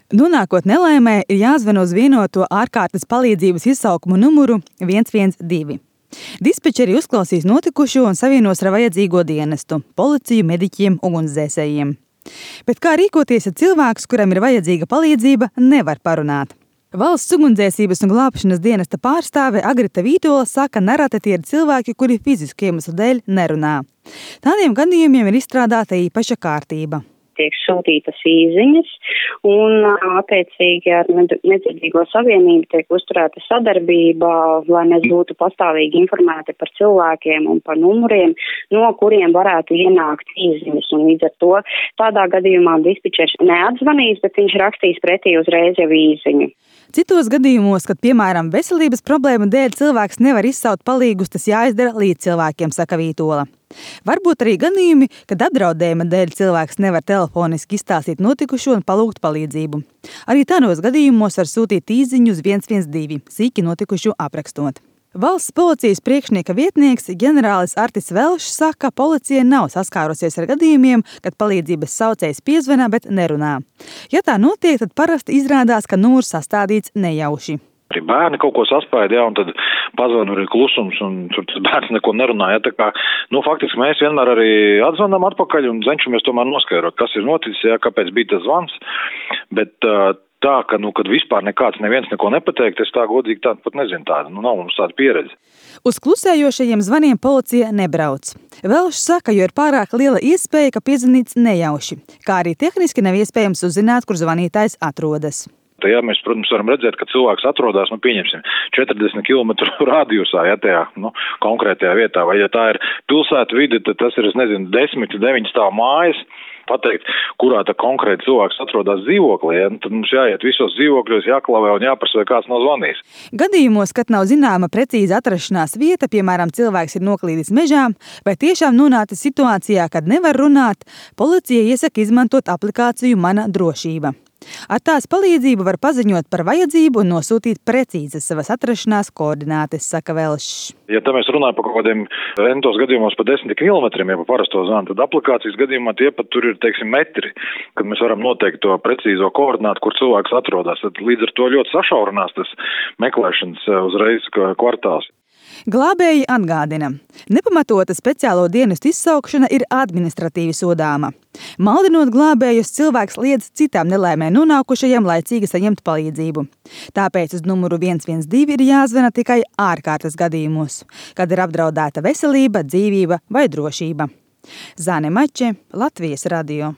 Nonākot nelaimē, ir jāzvan uz vienoto ārkārtas palīdzības izsaukumu numuru 112. Dispečeri uzklausīs notikušo un savienos ar vajadzīgo dienestu – policiju, mediķiem, ugunsdzēsējiem. Bet kā rīkoties, ja cilvēks, kuram ir vajadzīga palīdzība, nevar parunāt? Valsts ugunsdzēsības un glābšanas dienesta pārstāve Agrita Vītola saka, nereti tie ir cilvēki, kuri fizisku iemeslu dēļ nerunā. Tādiem gadījumiem ir izstrādāta īpaša kārtība. Tiek sūtītas īziņas un attiecīgi ar Nedzirdīgo savienību tiek uzturēta sadarbība, lai mēs būtu pastāvīgi informēti par cilvēkiem un par numuriem, no kuriem varētu ienākt īziņas. Un līdz ar to tādā gadījumā dispečers neatzvanīs, bet viņš rakstīs pretī uzreiz jau īziņu. Citos gadījumos, kad, piemēram, veselības problēmu dēļ cilvēks nevar izsaukt palīgus, tas jāizdara līdz cilvēkiem, saka Vītola. Varbūt arī gadījumi, kad apdraudējuma dēļ cilvēks nevar telefoniski izstāstīt notikušo un palūgt palīdzību. Arī tādos gadījumos var sūtīt īziņu uz 112, sīki notikušo aprakstot. Valsts policijas priekšnieka vietnieks ģenerālis Artis Velšs saka, ka policija nav saskārusies ar gadījumiem, kad palīdzības saucējs piezvanā, bet nerunā. Ja tā notiek, tad parasti izrādās, ka numurs sastādīts nejauši. Arī bērni kaut ko saspēja, un tad pazvanu arī klusums, un tur tas bērns neko nerunāja. Tā kā, faktiski mēs vienmēr arī atzvanām atpakaļ un cenšamies tomēr noskaidrot, kas ir noticis, kāpēc bija tas zvans. Bet tā, ka, kad vispār neviens neko nepateikt, es tā godīgi tādu pat nezinu tādu. Nav mums tāda pieredze. Uz klusējošajiem zvaniem policija nebrauc. Velšs saka, jo ir pārāk liela iespēja, ka piezvanīts nejauši, kā arī tehniski nav iespējams uzzināt, kur zvanītājs atrodas. Ja mēs, protams, varam redzēt, ka cilvēks atrodas, pieņemsim, 40 km radiusā, tajā konkrētajā vietā, vai ja tā ir pilsēta vide, tad tas ir, 10, 9 stāvu mājas, pateikt, kurā tā konkrēti cilvēks atrodas dzīvoklī, tad mums jāiet visos dzīvokļos, jāklavē un jāprasa, vai kāds nav zvanījis. Gadījumos, kad nav zināma precīza atrašanās vieta, piemēram, cilvēks ir noklīdis mežā, vai tiešām nonācis situācijā, kad nevar runāt, policija iesaka izmantot aplikāciju Mana drošība. Ar tās palīdzību var paziņot par vajadzību un nosūtīt precīzas savas atrašanās koordinātes, saka Velšs. Ja tā mēs runājam par kaut kādiem rentos gadījumos pa 10 kilometriem, ja pa parasto zvanu, tad aplikācijas gadījumā tie pat tur ir, metri, kad mēs varam noteikt to precīzo koordinātu, kur cilvēks atrodas. Tad līdz ar to ļoti sašaurinās tas meklēšanas uzreiz kvartāls. Glābēji atgādina, nepamatota speciālo dienestu izsaukšana ir administratīvi sodāma. Maldinot glābējus, cilvēks liedz citām nelaimē nonākušajiem laicīgi saņemt palīdzību. Tāpēc uz numuru 112 ir jāzvana tikai ārkārtas gadījumos, kad ir apdraudēta veselība, dzīvība vai drošība. Zane Mače, Latvijas radio.